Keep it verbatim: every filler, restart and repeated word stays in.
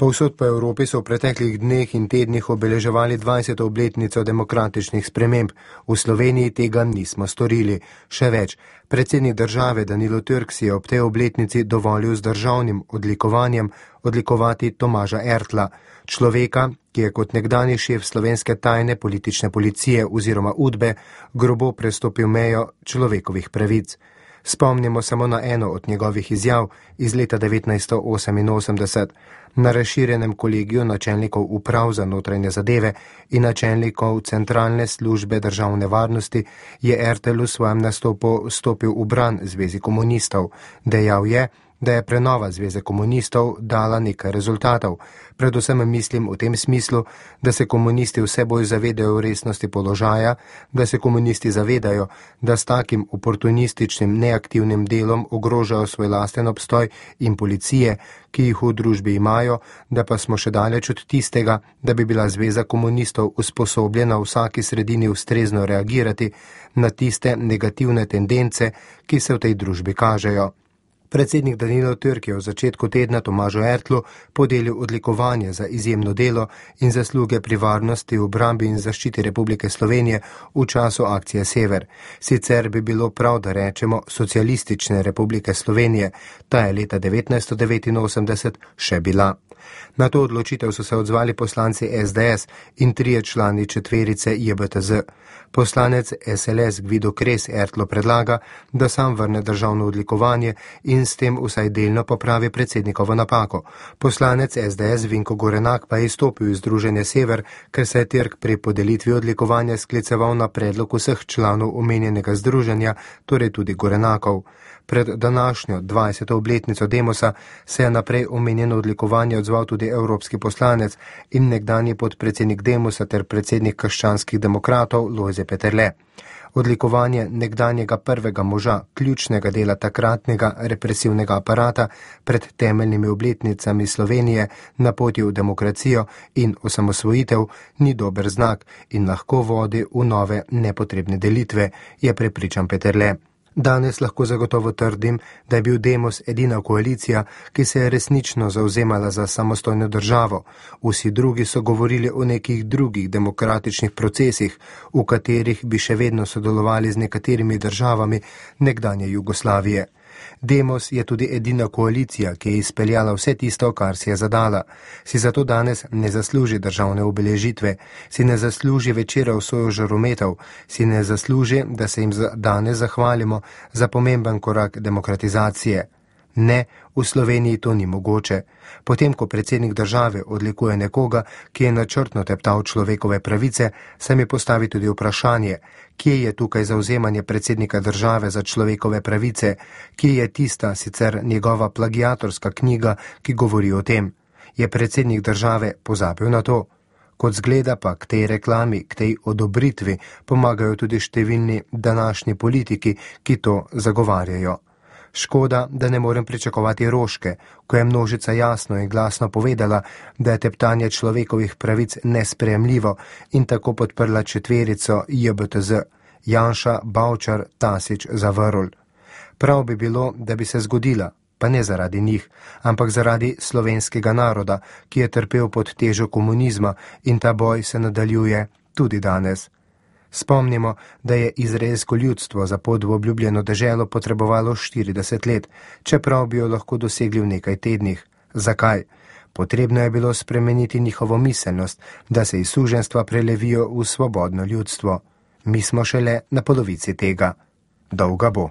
Povsod po Evropi so v preteklih dneh in tednih obeleževali dvajseto obletnico demokratičnih sprememb. V Sloveniji tega nismo storili. Še več, predsednik države Danilo Türk si je ob tej obletnici dovolil z državnim odlikovanjem odlikovati Tomaža Ertla, človeka, ki je kot nekdanji šef slovenske tajne politične policije oziroma Udbe grobo prestopil mejo človekovih pravic. Spomnimo samo na eno od njegovih izjav iz leta devetnajststo oseminosemdeset. Na razširjenem kolegiju načelnikov uprav za notranje zadeve in načelnikov centralne službe državne varnosti je Ertel v svojem nastopu stopil v bran Zvezi komunistov. Dejal je, da je prenova Zveze komunistov dala nekaj rezultatov. Predvsem mislim v tem smislu, da se komunisti vse bolj zavedajo resnosti položaja, da se komunisti zavedajo, da s takim oportunističnim neaktivnim delom ogrožajo svoj lasten obstoj in policije, ki jih v družbi imajo, da pa smo še daleč od tistega, da bi bila Zveza komunistov usposobljena v vsaki sredini ustrezno reagirati na tiste negativne tendence, ki se v tej družbi kažejo. Predsednik Danilo Türk je v začetku tedna Tomažu Ertlu podelil odlikovanje za izjemno delo in zasluge pri varnosti, obrambi in zaščiti Republike Slovenije v času akcije Sever. Sicer bi bilo prav, da rečemo Socialistične Republike Slovenije, ta je leta devetnajststo devetinosemdeset še bila. Na to odločitev so se odzvali poslanci es de es in trije člani četverice je be te ze. Poslanec es el es Gvido Kres Ertlo predlaga, da sam vrne državno odlikovanje in s tem vsaj delno popravi predsednikovo napako. Poslanec es de es Vinko Gorenak pa je izstopil iz Združenja Sever, ker se je Türk pri podelitvi odlikovanja skliceval na predlog vseh članov omenjenega združenja, torej tudi Gorenakov. Pred današnjo dvajseto obletnico Demosa se je naprej omenjeno odlikovanje odzval tudi evropski poslanec in nekdanji podpredsednik Demosa ter predsednik krščanskih demokratov Lojze Peterle. Odlikovanje nekdanjega prvega moža, ključnega dela takratnega represivnega aparata pred temeljnimi obletnicami Slovenije na poti v demokracijo in osamosvojitev ni dober znak in lahko vodi v nove nepotrebne delitve, je prepričan Peterle. Danes lahko zagotovo trdim, da je bil Demos edina koalicija, ki se je resnično zauzemala za samostojno državo. Vsi drugi so govorili o nekih drugih demokratičnih procesih, v katerih bi še vedno sodelovali z nekaterimi državami nekdanje Jugoslavije. Demos je tudi edina koalicija, ki je izpeljala vse tisto, kar si je zadala. Si zato danes ne zasluži državne obeležitve, si ne zasluži večera v soju žarometov, si ne zasluži, da se jim danes zahvalimo za pomemben korak demokratizacije. Ne, v Sloveniji to ni mogoče. Potem, ko predsednik države odlikuje nekoga, ki je načrtno teptal človekove pravice, se mi postavi tudi vprašanje, kje je tukaj zauzemanje predsednika države za človekove pravice, kje je tista sicer njegova plagiatorska knjiga, ki govori o tem. Je predsednik države pozabil na to? Kot zgleda pa k tej reklami, k tej odobritvi pomagajo tudi številni današnji politiki, ki to zagovarjajo. Škoda, da ne morem pričakovati Roške, ko je množica jasno in glasno povedala, da je teptanje človekovih pravic nesprejemljivo in tako podprla četverico je be te ze, Janša, Bavčar, Tasić, Zavrl. Prav bi bilo, da bi se zgodila, pa ne zaradi njih, ampak zaradi slovenskega naroda, ki je trpel pod težo komunizma in ta boj se nadaljuje tudi danes. Spomnimo, da je izraelsko ljudstvo za pot v obljubljeno deželo potrebovalo štirideset let, čeprav bi jo lahko dosegli v nekaj tednih. Zakaj? Potrebno je bilo spremeniti njihovo miselnost, da se iz suženjstva prelevijo v svobodno ljudstvo. Mi smo šele na polovici tega. Dolga bo.